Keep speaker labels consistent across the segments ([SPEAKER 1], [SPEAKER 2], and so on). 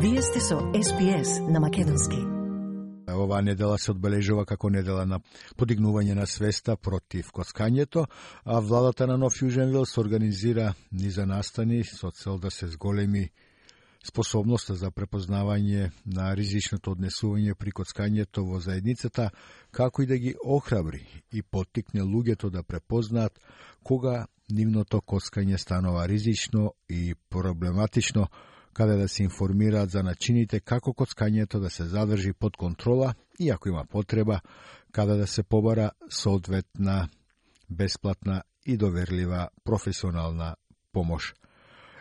[SPEAKER 1] Вие сте со СПС на македонски.
[SPEAKER 2] Оваа недела се одбележува како недела на подигнување на свеста против коцкањето, а владата на Нов Јужен Велс организира низа настани со цел да се зголеми способноста за препознавање на ризичното однесување при коцкањето во заедницата, како и да ги охрабри и поттикне луѓето да препознаат кога нивното коцкање станува ризично и проблематично, каде да се информираат за начините како коцкањето да се задржи под контрола и ако има потреба, каде да се побара соодветна, бесплатна и доверлива професионална помош.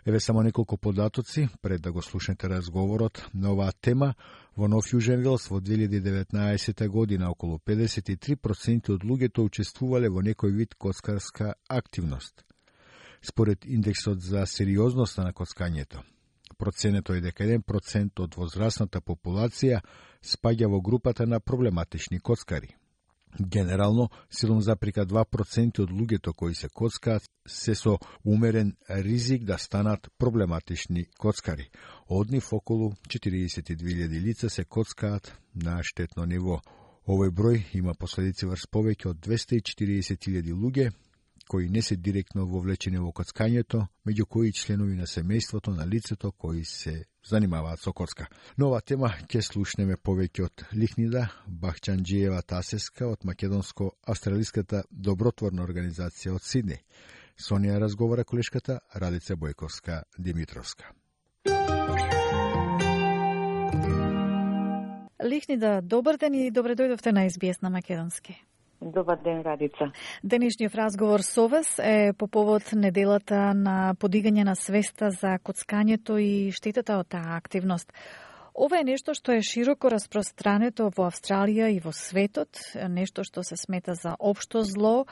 [SPEAKER 2] Еве само неколку податоци пред да го слушнете разговорот на оваа тема. Во Нов Јужен Велс во 2019 година околу 53% од луѓето учествувале во некој вид коцкарска активност. Според индексот за сериозност на коцкањето, проценето е дека 1% од возрастната популација спаѓа во групата на проблематични коцкари. Генерално, 7,2% од луѓето кои се коцкаат се со умерен ризик да станат проблематични коцкари. Од нив околу 42.000 лица се коцкаат на штетно ниво. Овој број има последици врз повеќе од 240.000 луѓе кои не се директно вовлечени во коцкањето, меѓу кои членови на семејството на лицето кои се занимаваат со коцка. Но оваа тема ќе слушнеме повеќе од Лихнида Бахчанџиева Тасеска од македонско-австралиската добротворна организација од Сидни. Со неја разговара колешката Радица Бојковска Димитровска.
[SPEAKER 3] Лихнида, добар ден и добре дојдовте на СБС на македонски.
[SPEAKER 4] Добар ден, Радица.
[SPEAKER 3] Денешниот разговор со вас е по повод неделата на подигање на свеста за коцкањето и штетата од таа активност. Ова е нешто што е широко распространето во Австралија и во светот, нешто што се смета за општо зло,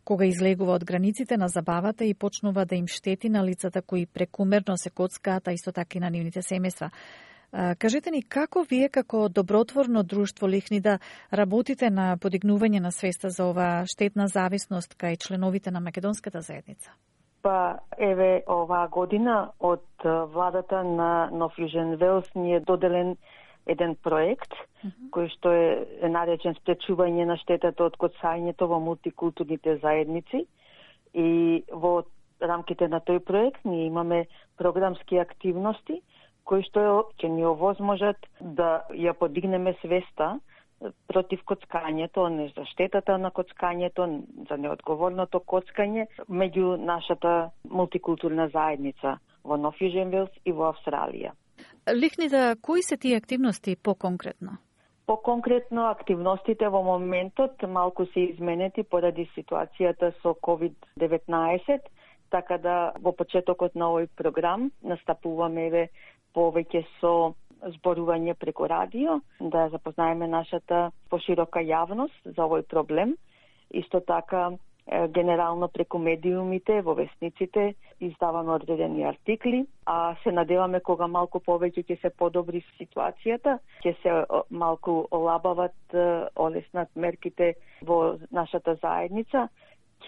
[SPEAKER 3] кога излегува од границите на забавата и почнува да им штети на лицата кои прекумерно се коцкаат, а исто така и на нивните семејства. Кажете ни како вие како добротворно друштво Лихнида работите на подигнување на свеста за оваа штетна зависност кај членовите на македонската заедница?
[SPEAKER 4] Па еве оваа година од владата на Нов Јужен Велс ни е доделен еден проект кој што е наречен спречување на штетата од коцањето во мултикултурните заедници и во рамките на тој проект ние имаме програмски активности кои што ќе ни овозможат да ја подигнеме свеста против коцкањето, не за штетата на коцкањето, за неодговорното коцкање меѓу нашата мултикултурна заедница во Нов Јужен Велс и во Австралија.
[SPEAKER 3] Лихнида, кои се тие активности по-конкретно?
[SPEAKER 4] По-конкретно, активностите во моментот малку се изменети поради ситуацијата со COVID-19, така да во почетокот на овој програм настапуваме повеќе со зборување преку радио, да запознаеме нашата поширока јавност за овој проблем. Исто така, генерално преку медиумите, во весниците, издаваме одредени артикли, а се надеваме кога малку повеќе ќе се подобри ситуацијата, ќе се малку олабават, олеснат мерките во нашата заедница,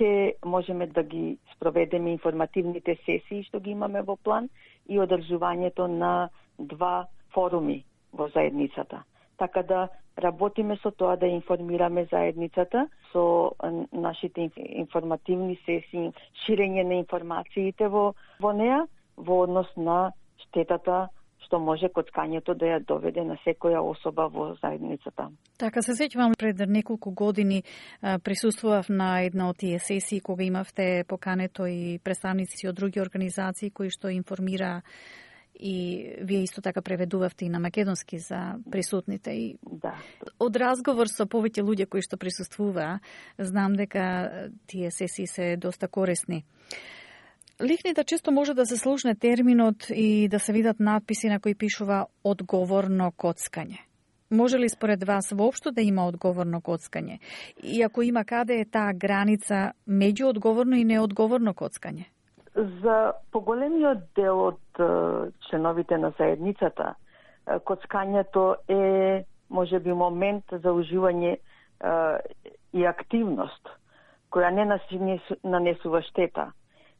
[SPEAKER 4] ќе можеме да ги спроведеме информативните сесии што ги имаме во план и одржувањето на 2 форуми во заедницата. Така да работиме со тоа да информираме заедницата со нашите информативни сесии, ширење на информациите во неа во однос на штетата што може коцкањето да ја доведе на секоја особа во заедницата.
[SPEAKER 3] Така, се сеќавам пред неколку години присуствував на една од тие сесии кога имавте покането и представници од други организации кои што информира и вие исто така преведувавте и на македонски за присутните. И
[SPEAKER 4] да.
[SPEAKER 3] Од разговор со повеќе луѓе кои што присуствуваа, знам дека тие сесии се доста корисни. Лихнида, често може да се слушне терминот и да се видат надписи на кои пишува одговорно коцкање. Може ли според вас воопшто да има одговорно коцкање? И ако има, каде е таа граница меѓу одговорно и неодговорно коцкање?
[SPEAKER 4] За поголемиот дел од членовите на заедницата, коцкањето е можеби момент за уживање и активност која не нанесува штета,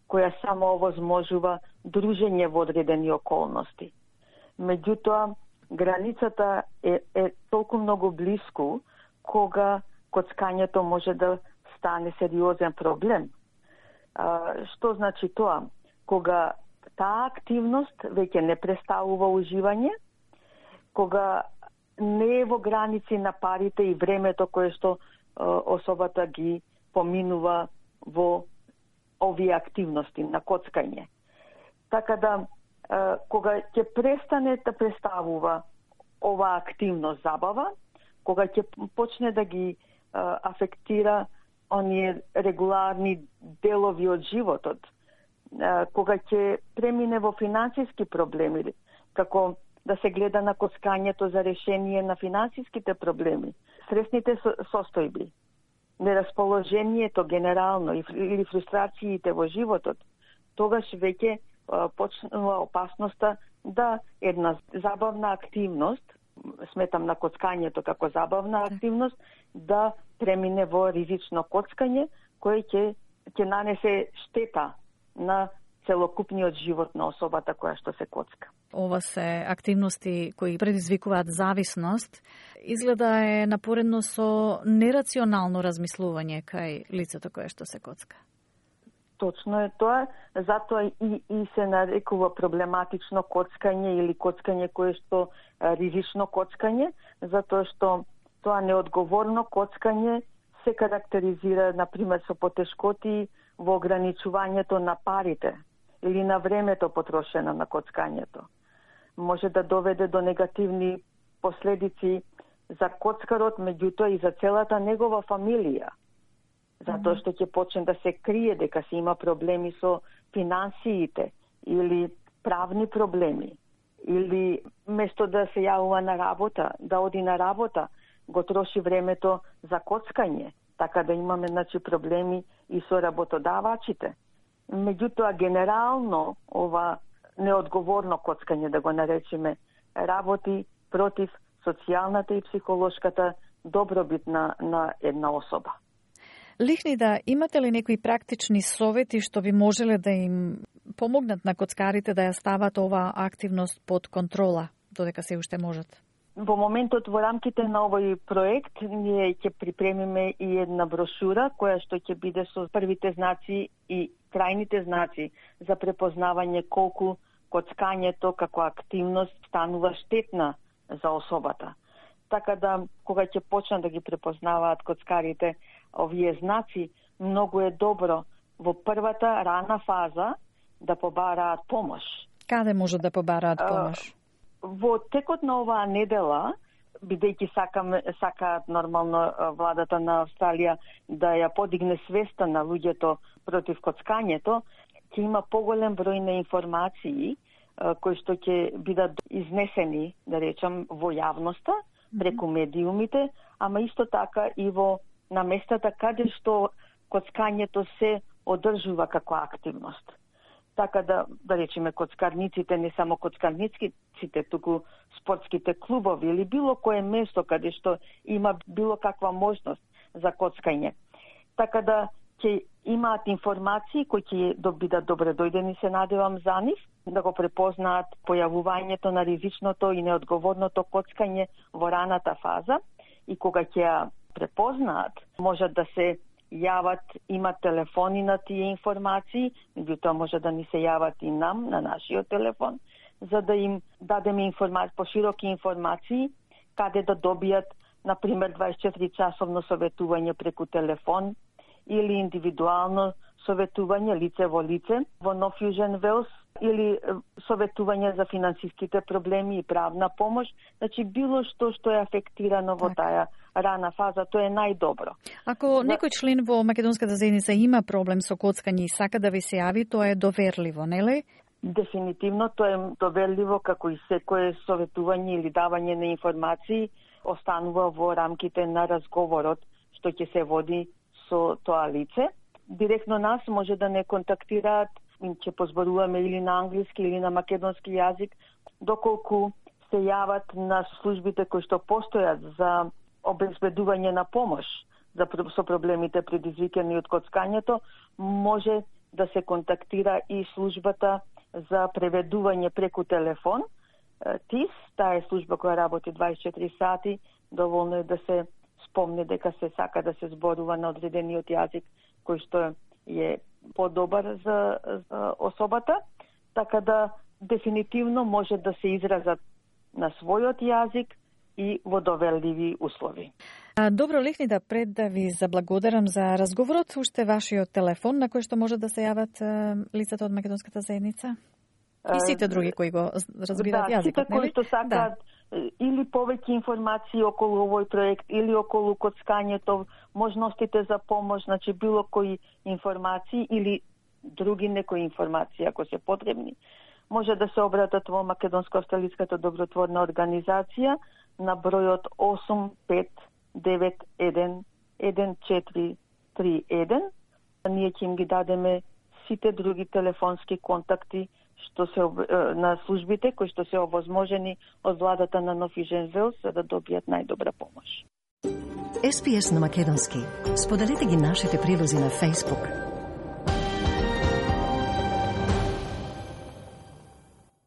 [SPEAKER 4] која само овозможува дружење во одредени околности. Меѓутоа, границата е толку многу блиску кога коцкањето може да стане сериозен проблем. Што значи тоа? Кога таа активност веќе не представува уживање, кога не е во граници на парите и времето кое што особата ги поминува во овие активности на коцкање. Така да, кога ќе престане да представува ова активност забава, кога ќе почне да ги афектира оние регуларни делови од животот, кога ќе премине во финансиски проблеми, како да се гледа на коцкањето за решение на финансиските проблеми, стресните состојби, нерасположението генерално или фрустрациите во животот, тогаш веќе почнува опасноста да една забавна активност, сметам на коцкањето како забавна активност, да премине во ризично коцкање, кој ќе нанесе штета на целокупниот живот на особата која што се коцка.
[SPEAKER 3] Ова се активности кои предизвикуваат зависност, изгледа е напоредно со нерационално размислување кај лицето кое што се коцка.
[SPEAKER 4] Точно е тоа, затоа и се нарекува проблематично коцкање или коцкање кое што ризично коцкање, затоа што тоа неодговорно коцкање се карактеризира, например, со потешкоти во ограничувањето на парите или на времето потрошено на коцкањето. Може да доведе до негативни последици за коцкарот, меѓутоа и за целата негова фамилија. Затоа што ќе почне да се крие дека се има проблеми со финансиите или правни проблеми, или место да се јавува на работа, да оди на работа, го троши времето за коцкање, така да имаме проблеми и со работодавачите. Меѓутоа, генерално, ова неодговорно коцкање, да го наречеме, работи против социјалната и психолошката добробит на една особа.
[SPEAKER 3] Лихнида, имате ли некои практични совети што би можеле да им помогнат на коцкарите да ја стават оваа активност под контрола, додека се уште можат?
[SPEAKER 4] Во моментот, во рамките на овој проект, ние ќе припремиме и една брошура која што ќе биде со првите знаци и крајните знаци за препознавање колку коцкањето како активност станува штетна за особата. Така да, кога ќе почнат да ги препознаваат коцкарите овие знаци, многу е добро во првата рана фаза да побараат помош.
[SPEAKER 3] Каде можат да побараат помош?
[SPEAKER 4] Во текот на оваа недела, бидејќи сакаат нормално владата на Австралија да ја подигне свеста на луѓето против коцкањето, ќе има поголем број на информации кои што ќе бидат изнесени, да речам, во јавноста, преку медиумите, ама исто така и на местата каде што коцкањето се одржува како активност. Така да речеме, коцкарниците, не само коцкарниците, туку спортските клубови или било кое место каде што има било каква можност за коцкање. Така да ќе имаат информации кои ќе бидат добре дојдени, се надевам за нив, да го препознаат појавувањето на ризичното и неодговорното коцкање во раната фаза и кога ќе ја препознаат, можат да се јават, имат телефони на тие информации, меѓутоа може да ни се јават и нам, на нашиот телефон, за да им дадеме пошироки информации, каде да добијат, например, 24-часовно советување преку телефон или индивидуално советување лице во лице во North Fusion Wales или советување за финансиските проблеми и правна помош, значи било што е афектирано во таа рана фаза, тоа е најдобро.
[SPEAKER 3] Ако некој член во македонската заедница има проблем со коцкање и сака да ви се јави, тоа е доверливо, нели?
[SPEAKER 4] Дефинитивно тоа е доверливо, како и секое советување или давање на информации останува во рамките на разговорот што ќе се води со тоа лице. Директно нас може да не контактираат, ќе позборуваме или на англиски или на македонски јазик, доколку се јават на службите кои што постојат за обезбедување на помош со проблемите предизвикани од коцкањето, може да се контактира и службата за преведување преку телефон ТИС, таа е служба која работи 24 сати, доволно е да се спомне дека се сака да се зборува на одредениот јазик кој што е подобар за особата, така да дефинитивно може да се изразат на својот јазик и во доверливи услови.
[SPEAKER 3] Добро, Лихнида, пред да ви заблагодарам за разговорот, уште вашиот телефон на кој што може да се јават лицата од македонската заедница? И сите други кои го разбираат јазикот,
[SPEAKER 4] сите кои што сакаат или повеќе информации околу овој проект, или околу коцкањето, можностите за помош, значи било кои информации или други некои информации, ако се потребни, може да се обратат во Македонско-австралиската добротворна организација на бројот 85911431. Ние ќе им ги дадеме сите други телефонски контакти што се на службите кои што се овозможени од владата на Нов Јужен Велс за да добијат најдобра помош.
[SPEAKER 1] SPS на македонски. Споделете ги нашите прилози на Facebook.